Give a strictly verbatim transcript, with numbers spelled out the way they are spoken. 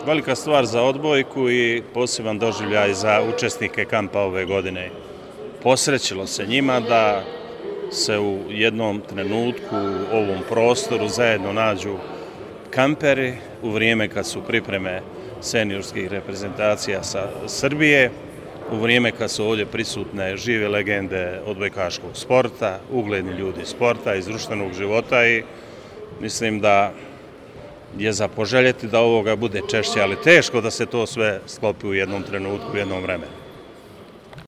velika stvar za odbojku i poseban doživljaj za učesnike kampa ove godine. Posrećilo se njima da se u jednom trenutku u ovom prostoru zajedno nađu kamperi u vrijeme kad su pripreme seniorskih reprezentacija sa Srbije, u vrijeme kad su ovdje prisutne žive legende odbojkaškog sporta, ugledni ljudi sporta iz društvenog života i mislim da je za poželjeti da ovoga bude češće, ali teško da se to sve sklopi u jednom trenutku, u jednom vremenu.